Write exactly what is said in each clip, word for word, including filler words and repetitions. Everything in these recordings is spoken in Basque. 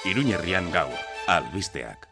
Iruñerrian gaur, albisteak.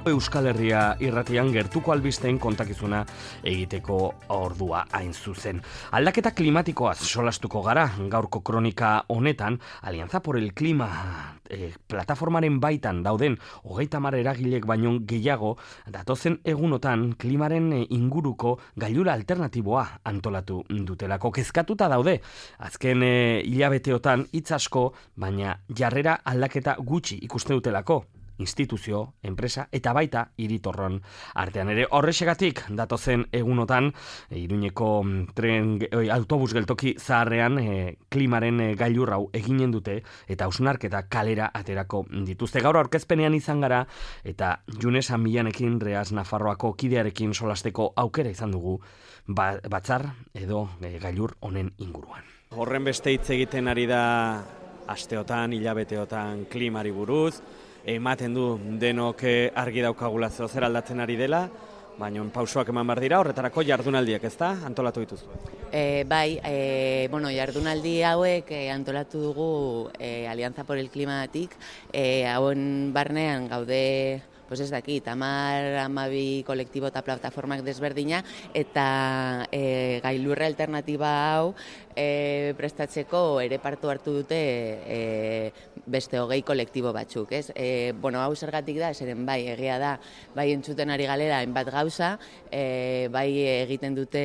Euskal Herria irratian gertuko albisteen kontakizuna egiteko ordua hain zuzen. Aldaketa klimatikoaz solastuko gara gaurko kronika honetan, Alianza por el Clima e, plataformaren baitan dauden hogeita hamar eragilek baino gehiago datozen egunotan klimaren inguruko gailura alternatiboa antolatu dutelako. Kezkatuta daude, azken e, hilabeteotan hitz asko, baina jarrera aldaketa gutxi ikusten dutelako. Instituzio, enpresa eta baita hiritorron artean ere. Horrexegatik datozen egunotan Iruñeko tren autobus geltoki zaharrean e, klimaren e, gailur hau eginen dute eta hausnarketa kalera aterako dituzte. Gaur aurkezpenean izan gara eta Junes Amillanekin Reas Nafarroako kidearekin solasteko aukera izan dugu ba, batzar edo e, gailur honen inguruan. Horren beste hitz egiten ari da asteotan, hilabeteotan klimari buruz. Ematen du denok argi daukagula zer aldatzen ari dela, baina pausoak eman behar dira, horretarako jardunaldiak, ez da? Antolatu dituzu. E, bai, e, bueno, jardunaldi hauek e, antolatu dugu e, Alianza por el Climatik, e, hauen barnean gaude, pues ez dakit, hamar, hamabi kolektibo eta plataformak desberdina, eta e, gailurra alternatiba hau e, prestatzeko ere partu hartu dute e, beste hogei kolektibo batzuk, ez? E, bueno, hau zergatik da, zeren bai, egia da, bai entzuten ari galera hainbat gauza, e, bai egiten dute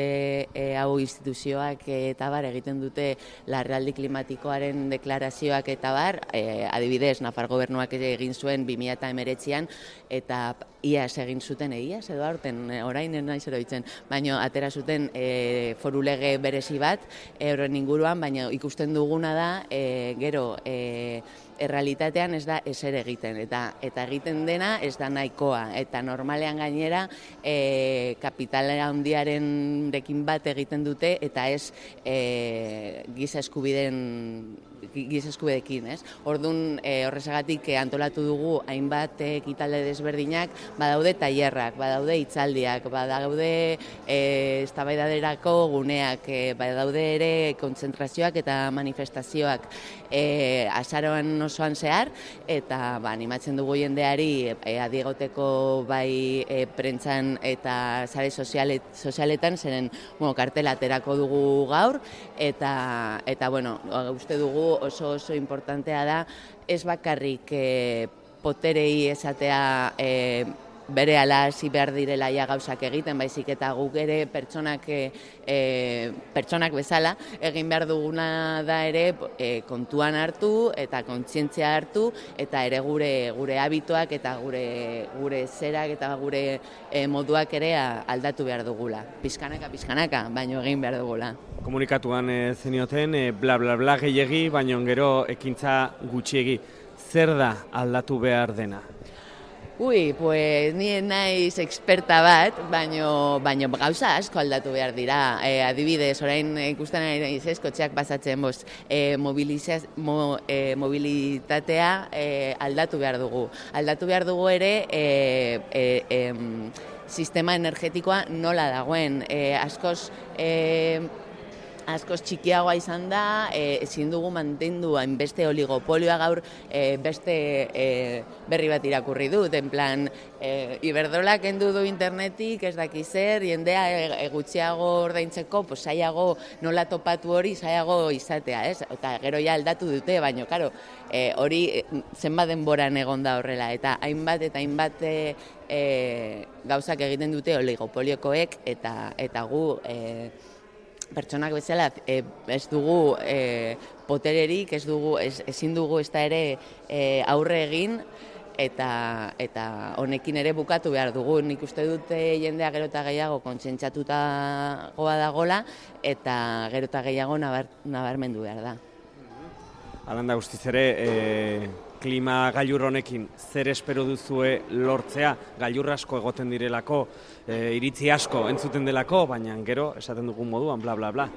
e, hau instituzioak eta bar, egiten dute larrialdi klimatikoaren deklarazioak eta bar, e, adibidez, Nafar gobernuak egin zuen bi mila hemeretzian, eta iaz egin zuten, iaz edo aurten, orain naiz eroitzen, baina atera zuten e, foru lege berezi bat, e, horren inguruan, baina ikusten duguna da, e, gero, e, errealitatean ez da ezer egiten, eta eta egiten dena ez da nahikoa, eta normalean gainera e, kapitala handiaren rekin bat egiten dute, eta ez e, giza eskubideen giza eskubideekin, ez? Orduan, e, horrezagatik e, antolatu dugu hainbat ekitaldi desberdinak, badaude tailerrak, badaude hitzaldiak, badaude e, eztabaidaderako guneak, e, badaude ere kontzentrazioak eta manifestazioak e, azaroan osoan zehar, eta ba, animatzen dugu jendeari e, adiegoteko bai e, prentzan eta sare sozialet, sozialetan, zeren bueno, kartela aterako dugu gaur, eta, eta bueno, uste dugu oso oso importantea da, ez bakarrik e, poterei esatea e, bere ala hasi behar direla ja gauzak egiten, baizik eta guk ere pertsonak, e, pertsonak bezala egin behar duguna da ere e, kontuan hartu eta kontzientzia hartu, eta ere gure gure habituak eta gure gure zerak eta gure e, moduak ere aldatu behar dugula. Pizkanaka, pizkanaka, baino egin behar dugula. Komunikatuan e, zenioten, e, bla bla bla gehiegi, baino gero ekintza gutxiegi. Zer da aldatu behar dena? Ui, pues ni naiz experta bat, baino, baino gauza asko aldatu behar dira. E, adibidez, orain ikusten ari naiz ez, kotxeak pasatzen bost, e, mobilizaz, mo, e, mobilitatea e, aldatu behar dugu. Aldatu behar dugu ere e, e, e, sistema energetikoa nola dagoen. E, askoz... E, askoz txikiagoa izan da, e, ezin dugu mantendu hainbeste oligopolioa gaur e, beste e, berri bat irakurri dut, en plan, e, Iberdrola kendu du internetik, ez daki zer, jendea e, e, gutxiago ordaintzeko, pues, zailago nola topatu hori, zailago izatea, ez? Eta gero ja aldatu dute, baina, karo, e, hori zenbat denboran egon da horrela, eta hainbat eta hainbat e, e, gauzak egiten dute oligopoliokoek, eta, eta gu... E, pertsonak bezala e, ez dugu e, potererik, ez dugu, ez, ezin dugu ez da ere e, aurre egin, eta, eta honekin ere bukatu behar dugu. Nik uste dute jendea gero eta gehiago kontsentsatutagoa dagola, eta gero eta gehiago nabar, nabarmendu behar da. Alanda guztiz ere, e, klima gailur honekin zer espero duzue lortzea, gailur asko egoten direlako, e, iritzi asko entzuten delako, baina gero esaten dugun moduan, bla bla bla.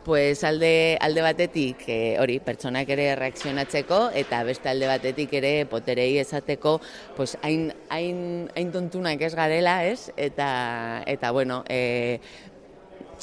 Pues alde, alde batetik e, hori pertsonak ere reakzionatzeko eta beste alde batetik ere poterei esateko pues, hain, hain, hain tontunak ez garela, ez? Eta, eta bueno, e,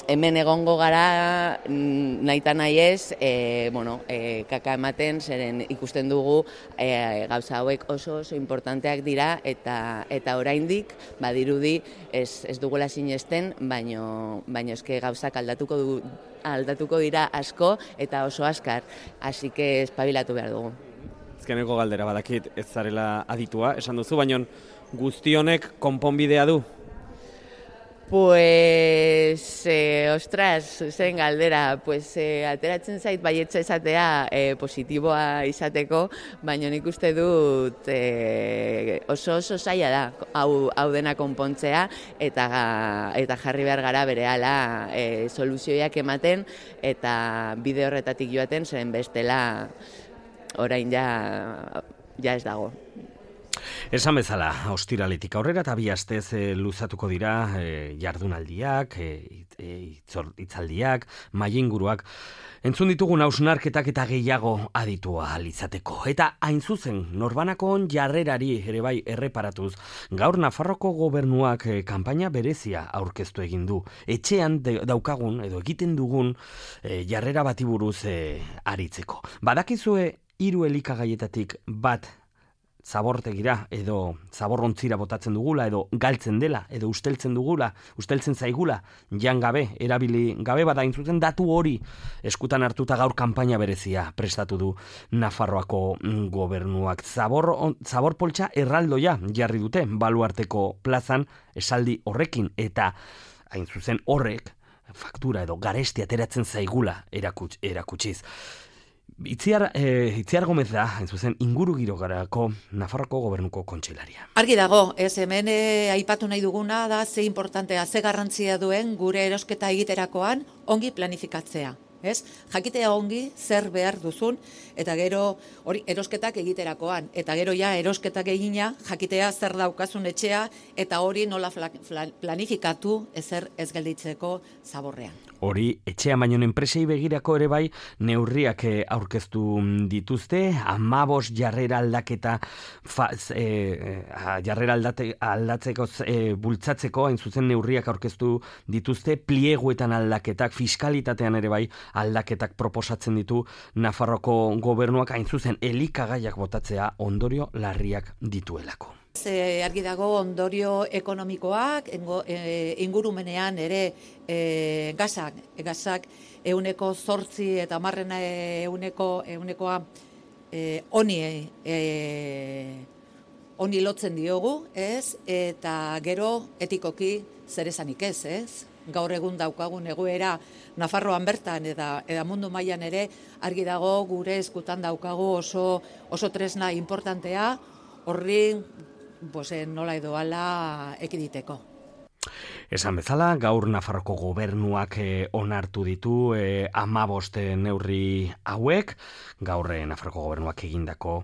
hemen egongo gara nahita nahi ez, e, bueno, e, kaka ematen, zeren ikusten dugu e, gauza hauek oso oso importanteak dira eta eta oraindik badirudi ez, ez dugula sinesten, baino, baino eske gauzak aldatuko du, aldatuko dira asko eta oso askar, así que espabilatu behar dugu. Azkeneko galdera badakit ez zarela aditua, esan duzu, baino guzti honek konponbidea du? Pues, eh, ostras, zen galdera, pues, eh, ateratzen zait baietza esatea eh, positiboa izateko, baina nik uste dut eh, oso oso zaila da hau, hau dena konpontzea eta, eta jarri behar gara berehala eh, soluzioak ematen eta bide horretatik joaten zen bestela orain ja, ja ez dago. Esan bezala, ostiraletik aurrera eta bi astez e, luzatuko dira e, jardunaldiak, e, e, hitzaldiak, mailinguruak. Entzun ditugun hausnarketak eta gehiago aditua izateko. Eta hain zuzen, norbanakon jarrerari ere bai erreparatuz, gaur Nafarroko gobernuak e, kanpaina berezia aurkeztu egin du. Etxean de, daukagun edo egiten dugun e, jarrera bati buruz e, aritzeko. Badakizue hiru elikagaietatik bat zabortegira edo zaborrontzira botatzen dugula edo galtzen dela edo usteltzen dugula, usteltzen zaigula, jan gabe, erabili gabe, bada intzuten datu hori eskutan hartuta gaur kanpaina berezia prestatu du Nafarroako gobernuak. Zabor, zabor poltsa erraldoia jarri dute baluarteko plazan esaldi horrekin eta hain zuzen horrek faktura edo garesti ateratzen zaigula erakuts, erakutsiz. Itziar, eh, Itziar Gomez da, hain zuzen, inguru girogarako Nafarroko gobernuko kontseilaria. Argi dago, ez hemen eh, aipatu nahi duguna da ze importantea, ze garrantzia duen gure erosketa egiterakoan ongi planifikatzea. Ez? Jakitea ongi zer behar duzun eta gero hori erosketak egiterakoan eta gero ja erosketak egina jakitea zer daukazun etxea eta hori nola planifikatu ezer ez gelditzeko zaborrean. Hori etxea baino enpresei begirako ere bai neurriak aurkeztu dituzte, amabos jarrera aldaketa fa, e, jarrera aldate, aldatzeko e, bultzatzeko hain zuzen neurriak aurkeztu dituzte, plieguetan aldaketak, fiskalitatean ere bai aldaketak proposatzen ditu Nafarroko gobernuak hain zuzen elikagaiak botatzea ondorio larriak dituelako. E, argi dago ondorio ekonomikoak, engo, e, ingurumenean ere e, gazak, gazak euneko zortzi eta marrena euneko, eunekoa e, oni, e, oni lotzen diogu, ez? Eta gero etikoki zer esanik ez, ez? Gaur egun daukagun egoera Nafarroan bertan eta, eta mundu mailan ere argi dago gure eskutan daukagu oso, oso tresna importantea horri pues, nola edo ala ekiditeko. Esan bezala, gaur Nafarroko gobernuak eh, onartu ditu eh, amabost neurri hauek, gaur eh, Nafarroko gobernuak egindako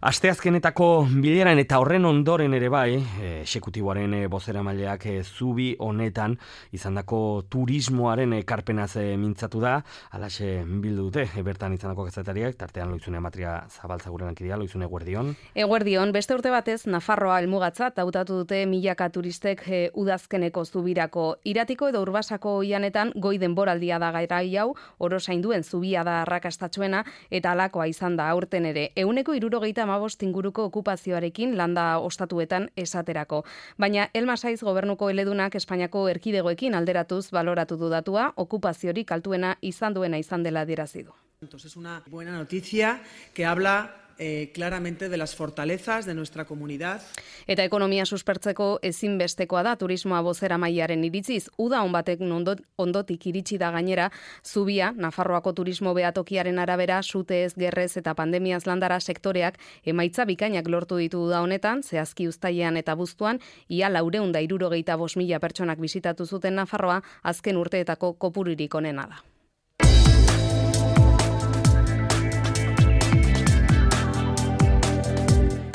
asteazkenetako bileran eta horren ondoren ere bai, eh, exekutiboaren eh, bozeramaileak eh, zubi honetan izandako turismoaren ekarpenaz eh, mintzatu da, alaxe bildu dute, eh, bertan izandako kazetariak, tartean Loizune Matria Zabaltzaguren lankidea, Loizune eguerdion. Eguerdion, beste urte batez Nafarroa helmugatzat hautatu dute milaka turistek eh, udazkeneko zubirako. Iratiko edo Urbasako oianetan goi denboraldia da garai hau, orosainduen zubia da arrakastatsuena eta halakoa izan da aurten ere. Ehuneko hirurogeita hamabost inguruko okupazioarekin landa ostatuetan esaterako. Baina Elma Saiz gobernuko eledunak Espainiako erkidegoekin alderatuz baloratu du datua, okupaziorik altuena izan duena izan dela adierazi du. Es una buena noticia que habla Eh, claramente de las fortalezas de nuestra comunidad. Eta ekonomia suspertzeko ezinbestekoa da turismoa bozeramailearen iritziz. Uda on batek ondot, ondotik iritsi da gainera, zubia, Nafarroako turismo behatokiaren arabera, sutez, gerrez eta pandemiaz landara sektoreak emaitza bikainak lortu ditu da honetan, zehazki uztailean eta buztuan, ia laurehun eta hirurogeita bost mila pertsonak bisitatu zuten Nafarroa, azken urteetako kopururik onena da.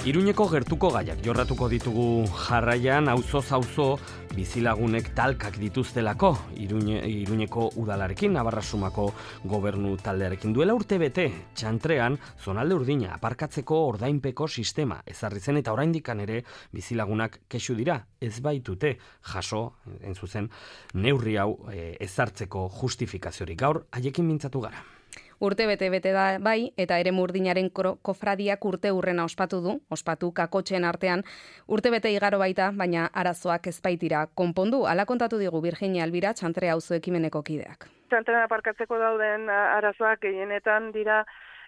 Iruñeko gertuko gaiak jorratuko ditugu jarraian, auzoz auzo bizilagunek talkak dituztelako Iruñe, Iruñeko udalarekin, Navarrasumako gobernu taldearekin. Duela urte bete, txantrean, zonalde urdina aparkatzeko ordainpeko sistema ezarri zen eta oraindikan ere bizilagunak kexu dira, ez baitute jaso, en zuzen, neurri hau e, ezartzeko justifikaziorik. Gaur, haiekin mintzatu gara. Urte bete-bete da bai, eta ere murdinaren kofradiak urte urrena ospatu du, ospatu kakotxen artean, urte bete igaro baita, baina arazoak ezbaitira konpondu. Hala kontatu digu Virginia Albira, Txantre auzo ekimeneko kideak. Txantrean aparkatzeko dauden arazoak gehienetan dira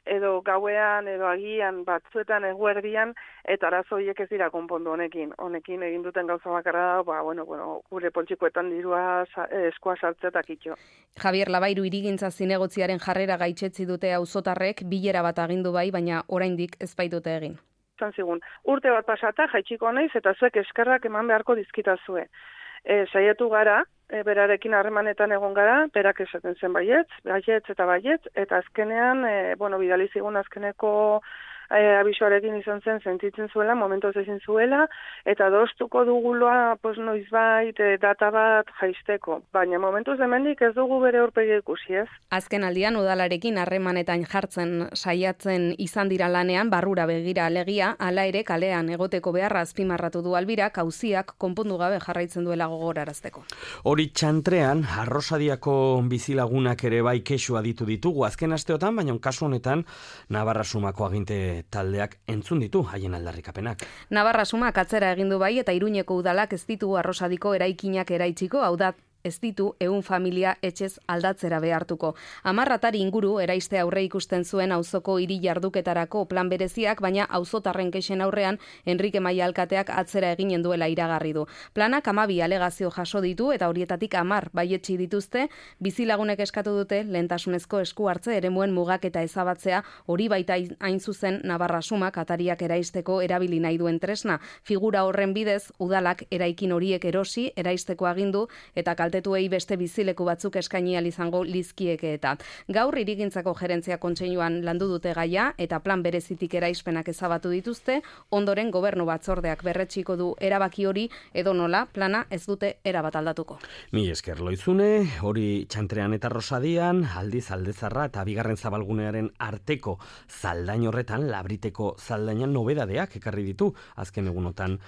edo gauean, edo agian batzuetan eguerdian, eta arazo horiek ez dira konpondu honekin. Honekin egin duten gauza bakarra da, ba, bueno, bueno, gure poltsikoetan dirua eskua sartzea eta kitxo. Javier Labairu hirigintza zinegotziaren jarrera gaitzetzi dute auzotarrek, bilera bat agindu bai, baina oraindik ez baitute egin. Zan zigun, urte bat pasata jaitsiko naiz eta zuek eskerrak eman beharko dizkitazue. E, saiatu gara, e, berarekin harremanetan egon gara, berak esaten zen baietz, baietz eta baietz, eta azkenean, e, bueno, bidali zigun azkeneko e, abisoarekin izan zen sentitzen zuela, momentoz ezin zuela, eta doztuko duguloa, pues, noizbait, e, data bat jaisteko. Baina momentuz hemendik ez dugu bere aurpegi ikusi, ez? Azken aldian udalarekin harremanetan jartzen saiatzen izan dira lanean, barrura begira alegia, hala ere kalean egoteko beharra azpimarratu du Albirak, auziak konpondu gabe jarraitzen duela gogorarazteko. Hori txantrean, Arrosadiako bizilagunak ere bai kexua ditu ditugu azken asteotan, baina kasu honetan Navarrasumako aginte taldeak entzun ditu haien aldarrikapenak. Navarrasumak atzera egin du bai eta Iruñeko udalak ez ditu Arrosadiko eraikinak eraitziko, hau da ez ditu ehun familia etxez aldatzera behartuko. Hamarratari inguru eraiste aurre ikusten zuen auzoko hiri jarduketarako plan bereziak, baina auzotarren kexen aurrean Enrique Maia alkateak atzera eginen duela iragarri du. Planak hamabi alegazio jaso ditu eta horietatik hamar baietsi dituzte, bizilagunek eskatu dute lehentasunezko esku hartze eremuen mugaketa ezabatzea, hori baita hain zuzen Navarrasumak atariak eraisteko erabili nahi duen tresna. Figura horren bidez, udalak eraikin horiek erosi, eraisteko agindu eta kaltetuei beste bizileku batzuk eskaini ahal izango lizkieke eta. Gaur hirigintzako gerentzia kontseiluan landu dute gaia eta plan berezitik eraispenak ezabatu dituzte, ondoren gobernu batzordeak berretsiko du erabaki hori edo nola plana ez dute erabat aldatuko. Mi esker Loizune, hori Txantrean eta Rosadian, aldiz aldezarra eta bigarren zabalgunearen arteko zaldain horretan, Labriteko zaldainan nobedadeak ekarri ditu, azken egunotan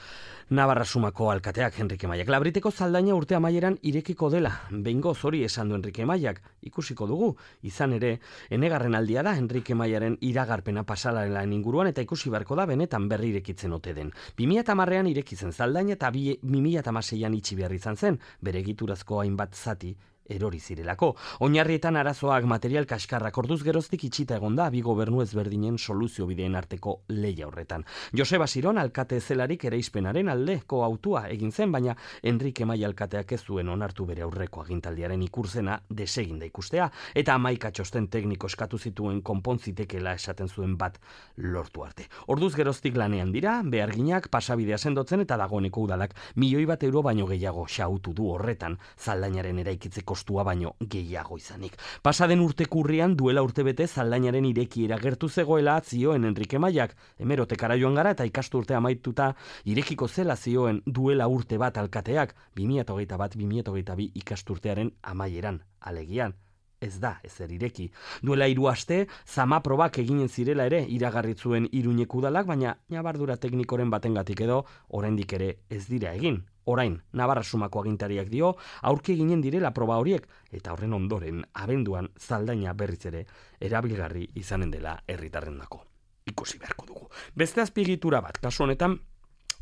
Navarrasumako alkateak Enrique Maiak. Labriteko zaldaina urte amaieran irekiko dela, behingoz hori esan du Enrique Maiak, ikusiko dugu, izan ere, enegarren aldia da Enrique Maiaren iragarpena pasalaren inguruan eta ikusi beharko da benetan berri irekitzen ote den. bi mila hamarrean irekitzen zaldaina eta bi mila hamaseian itxi behar izan zen, bere egiturazko hainbat zati erori zirelako. Oinarrietan arazoak material kaskarrak orduz geroztik itxita egonda bi gobernu ezberdinen soluzio bideen arteko leia horretan. Joseba Siron alkate zelarik ereispenaren aldeko autua egin zen, baina Enrique Maia alkateak ez zuen onartu bere aurreko agintaldiaren ikurzena deseginda ikustea, eta hamaika txosten tekniko eskatu zituen konpontzitekeela esaten zuen bat lortu arte. Orduz geroztik lanean dira, beharginak pasabidea sendotzen eta dagoeneko udalak milioi bat euro baino gehiago xautu du horretan, zaldainaren eraikitzeko kostua baino gehiago izanik. Pasaden urtekurrian duela urtebete zaldainaren irekiera gertu zegoela zioen Enrique Maiak, hemerotekara joan gara eta ikasturte amaituta irekiko zela zioen duela urte bat alkateak, bi mila hogeita bat bi mila hogeita bi ikasturtearen amaieran, alegian. Ez da, ezer ireki. Duela hiru aste, zama probak eginen zirela ere iragarri zuen Iruñeko udalak, baina ñabardura teknikoren batengatik edo oraindik ere ez dira egin. Orain, Navarrasumako agintariak dio, aurki eginen direla proba horiek, eta horren ondoren, abenduan zaldaina berriz ere, erabilgarri izanen dela herritarrendako. Ikusi beharko dugu. Beste azpiegitura bat, kasu honetan,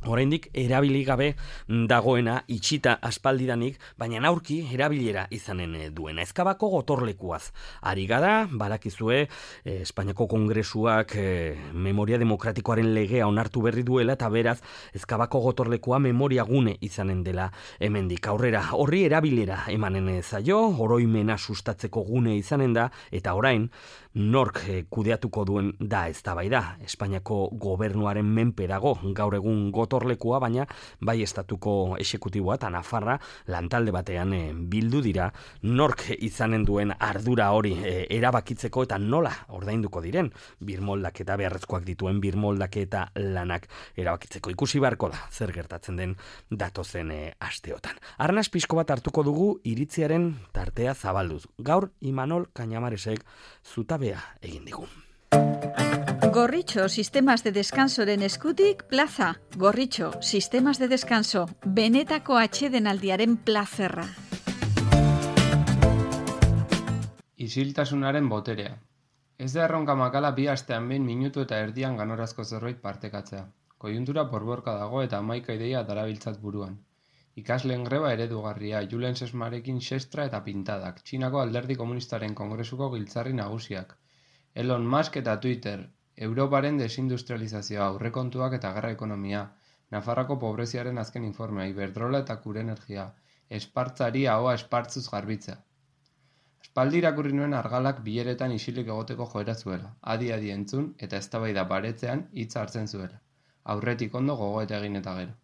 oraindik erabili gabe dagoena itxita aspaldidanik, baina aurki erabilera izanen duena. Ezkabako gotorlekuaz. Ari gara, badakizue, eh, Espainiako Kongresuak eh, memoria demokratikoaren legea onartu berri duela, eta beraz, Ezkabako gotorlekua memoria gune izanen dela hemendik aurrera. Horri erabilera emanen zaio, oroimena sustatzeko gune izanen da, eta orain, nork eh, kudeatuko duen da eztabaida. Espainiako gobernuaren menpe dago, gaur egun got gotorlekua, baina bai estatuko exekutiboa eta Nafarra lantalde batean e, bildu dira nork izanen duen ardura hori e, erabakitzeko eta nola ordainduko diren birmoldaketa beharrezkoak dituen birmoldaketa lanak erabakitzeko. Ikusi beharko da zer gertatzen den datozen e, asteotan. Arnaz pixko bat hartuko dugu iritziaren tartea zabalduz. Gaur Imanol Cañamaresek zutabea egin digu. Gorritxo Sistemas de Descansoren eskutik plaza. Gorritxo Sistemas de Descanso, benetako atsedenaldiaren plazerra. Isiltasunaren boterea. Ez da erronka makala bi astean behin minutu eta erdian ganorazko zerbait partekatzea. Kojuntura porborka dago eta hamaika ideia darabiltzat buruan. Ikasleen greba eredugarria, Julen Sesmarekin xestra eta pintadak, Txinako alderdi komunistaren kongresuko giltzarri nagusiak, Elon Musk eta Twitter, Europaren desindustrializazioa, aurrekontuak eta gerra ekonomia, Nafarrako pobreziaren azken informea, Iberdrola eta Kure Energia, espartzari ahoa espartzuz garbitza. Aspaldi irakurri nuen argalak bileretan isilik egoteko joera zuela, adi-adi entzun eta eztabaida baretzean hitza hartzen zuela. Aurretik ondo gogoeta egin eta gero.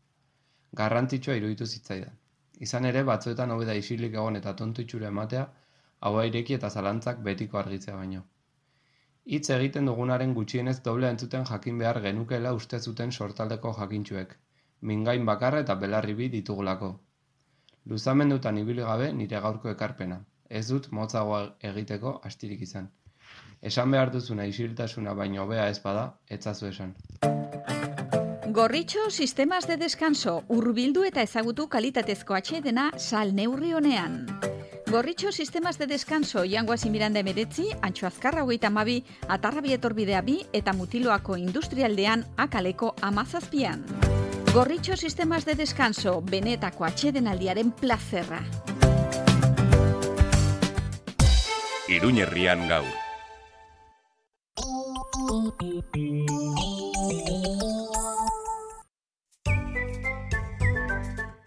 Garrantzitsua iruditu zitzaidan. Izan ere, batzuetan hobe da isilik egon eta tontu itxura ematea, haua ireki eta zalantzak betiko argitzea baino. Hitz egiten dugunaren gutxienez doble entzuten jakin behar genukeela uste zuten sortaldeko jakintxuek, mingain bakarra eta belarri bi ditugulako. Luzamendutan ibili gabe nire gaurko ekarpena, ez dut motzagoa egiteko astirik izan. Esan behar duzuna isiltasuna baino hobea ez bada, etzazu esan. Gorritxo Sistemas de Descanso, hurbildu eta ezagutu kalitatezko atsedena sal neurri honean. Gorritxo Sistemas de Descanso, Jangoazi Miranda emeretzi, Antxo Azkarra hogeita hamabi, Atarrabi etorbidea bi eta Mutiloako industrialdean akaleko amazazpian. Gorritxo Sistemas de Descanso, benetako atsedenaldiaren plazerra. Iruñerrian gaur.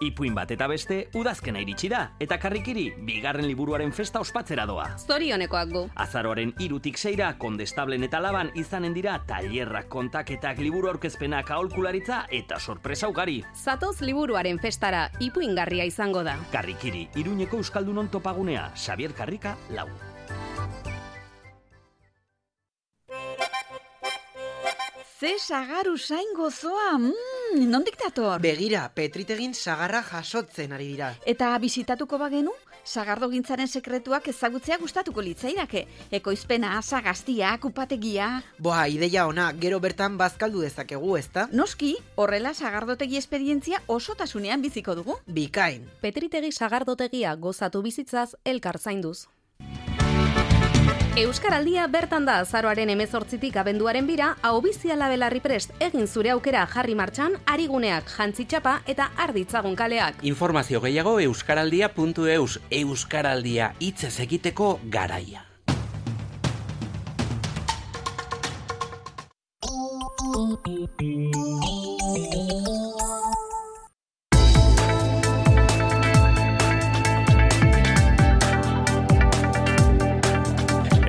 Ipuin bat eta beste, udazkena iritsi da, eta Karrikiri, bigarren liburuaren festa ospatzera doa. Zorionekoak gu. Azaroaren hirutik seira, Kondestablen eta Laban izanen dira tailerrak, kontaketak, liburu aurkezpenak, aholkularitza eta sorpresa ugari. Zatoz liburuaren festara, ipuingarria izango da. Karrikiri, Iruñeko Euskaldunon topagunea, Xabier Karrika, lau. Ze sagaru zain gozoa, mm, nondik dator? Begira, Petritegin sagarra jasotzen ari dira. Eta bisitatuko bagenu, sagardogintzaren sekretuak ezagutzea gustatuko litzaidake. Ekoizpena, sagaztia, kupategia... Boa, ideia ona, gero bertan bazkaldu dezakegu, ezta? Noski, horrela sagardotegi esperientzia osotasunean biziko dugu. Bikain. Petritegi sagardotegia gozatu bizitzaz elkar zainduz. Euskaraldia bertan da azaroaren hemezortzitik abenduaren bira, ahobiziala belarri prest egin zure aukera jarri martxan, ariguneak, jantzitxapa eta arditzagun kaleak. Informazio gehiago euskaraldia puntu eus, Euskaraldia hitzez egiteko garaia.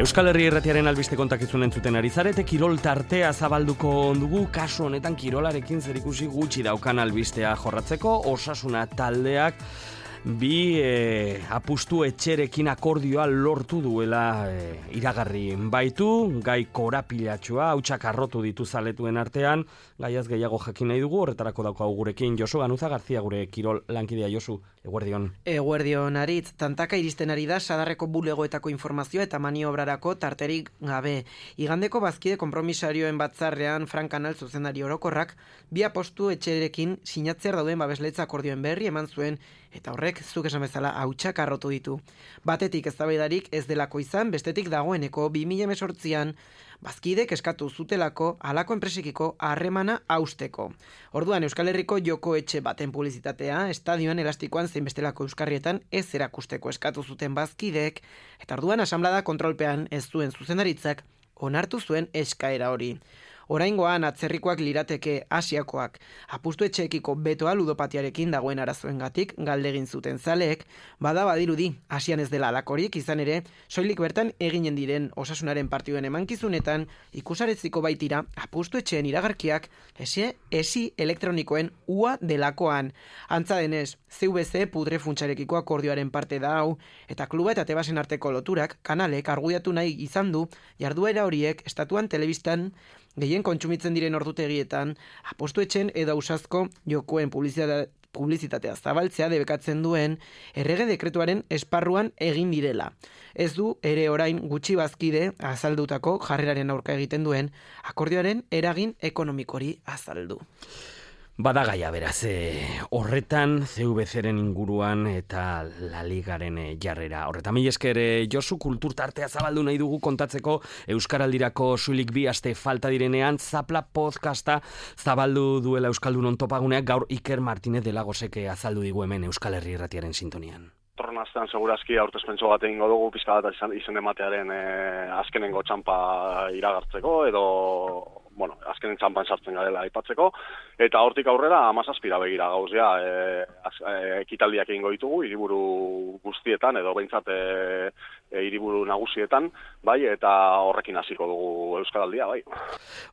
Euskal Herri Irratiaren albiste kontakizun entzuten ari zarete, kirol tartea zabalduko dugu, kasu honetan kirolarekin zerikusi gutxi daukan albistea jorratzeko, Osasuna taldeak bi e, apustu etxerekin akordioa lortu duela e, iragarri baitu, gai korapilatxua, hautsak arrotu ditu zaletuen artean, gaiaz gehiago jakin nahi dugu, horretarako daukagu gurekin Josu Ganuza Garzia, gure kirol lankidea. Josu, eguerdion. Eguerdion, Aritz, tantaka iristen ari da sadarreko bulegoetako informazioa eta maniobrarako tarterik gabe. Igandeko bazkide konpromisarioen batzarrean Frank Kanal zuzendari orokorrak, bi apostu etxerekin sinatzer dauden babesletza akordioen berri eman zuen, eta horrek, zuk esan bezala, hautsak arrotu ditu. Batetik eztabaidarik ez delako izan, bestetik dagoeneko bi mila hemezortzian bazkidek eskatu zutelako halako enpresekiko harremana hausteko. Orduan Euskal Herriko joko etxe baten publizitatea, estadioan elastikoan zein bestelako euskarrietan ez erakusteko eskatu zuten bazkidek, eta orduan asanblada kontrolpean ez zuen zuzendaritzak onartu zuen eskaera hori. Oraingoan atzerrikoak lirateke Asiakoak. Apustu etxeekiko betoa ludopatiarekin dagoen arazoengatik galdegin zuten zaleek, bada badirudi Asian ez dela alakorik, izan ere, soilik bertan eginen diren osasunaren partiduen emankizunetan ikusaretziko baitira apustu etxeen iragarkiak esi, esi elektronikoen ua delakoan. Antza denez, C V C pudre funtsarekiko akordioaren parte da hau, eta kluba eta tebasen arteko loturak kanalek argudiatu nahi izan du jarduera horiek estatuan telebistan gehien kontsumitzen diren ordutegietan apustu etxen edo ausazko jokoen publizitatea publizitatea zabaltzea debekatzen duen errege dekretuaren esparruan egin direla. Ez du ere orain gutxi bazkide azaldutako jarreraren aurka egiten duen akordioaren eragin ekonomikori azaldu. Bada gaia beraz, e, horretan C V C-ren inguruan eta La Ligaren e, jarrera. Horretan mila esker e, Josu, kultur tartea zabaldu nahi dugu kontatzeko Euskaraldirako suilik bi aste falta direnean Zapla podcasta zabaldu duela Euskaldunon topaguneak gaur Iker Martinez de Lagosek azaldu digu hemen Euskal Herri Irratiaren sintonian. Torren astean segurazki aurtezpentso bat egingo dugu pizka bat izan, izen ematearen e, azkenengo txampa iragartzeko edo bueno, azkenen txampan sartzen garela aipatzeko, eta hortik aurrera hamazazpira begira gauz ja, e, e, ekitaldiak egingo ditugu, hiriburu guztietan, edo behintzat e, e, hiriburu nagusietan, bai, eta horrekin hasiko dugu Euskaraldia, bai.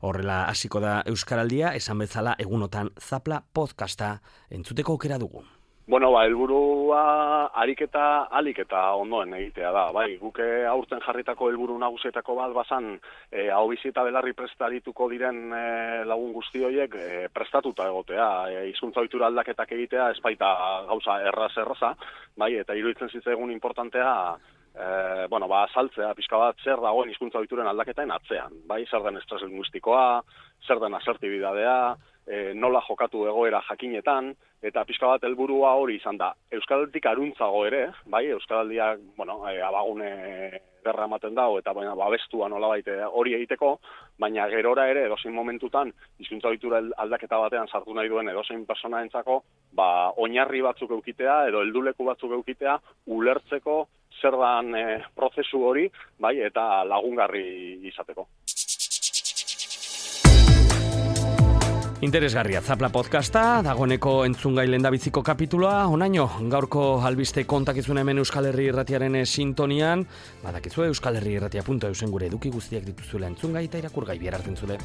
Horrela hasiko da Euskaraldia, esan bezala egunotan Zapla podcasta entzuteko aukera dugu. Bueno, ba, helburua ariketa alik eta ondoen egitea da. Bai, guke aurten jarritako helburu nagusietako bat bazan, e, hau bizi eta belarri prestarituko diren e, lagun guzti horiek e, prestatuta egotea. E, hizkuntza ohitura aldaketak egitea ez baita gauza erraz erraza, bai, eta iruditzen zitzaigun importantea E, bueno, ba, saltzea, pixka bat, zer dagoen hizkuntza ohituren aldaketaen atzean, bai, zer den estres linguistikoa, zer den asertibidadea, e, nola jokatu egoera jakinetan, eta pixka bat helburua hori izan da. Euskaraldik aruntzago ere, bai, Euskaraldiak, bueno, e, abagune derra ematen dago, eta baina babestua nolabait hori egiteko, baina gerora ere edozein momentutan hizkuntza ohitura aldaketa batean sartu nahi duen edozein pertsonaentzako, ba, oinarri batzuk eukitea edo helduleku batzuk eukitea ulertzeko zer dan e, prozesu hori, bai, eta lagungarri izateko. Interesgarria Zapla podcasta, dagoeneko entzungai lehendabiziko kapituloa, onaino, gaurko albiste kontakizuna hemen Euskal Herri Irratiaren sintonian, badakizue euskalherriirratia puntu eusen gure eduki guztiak dituzuela entzungai eta irakurgai bihar hartzen zule.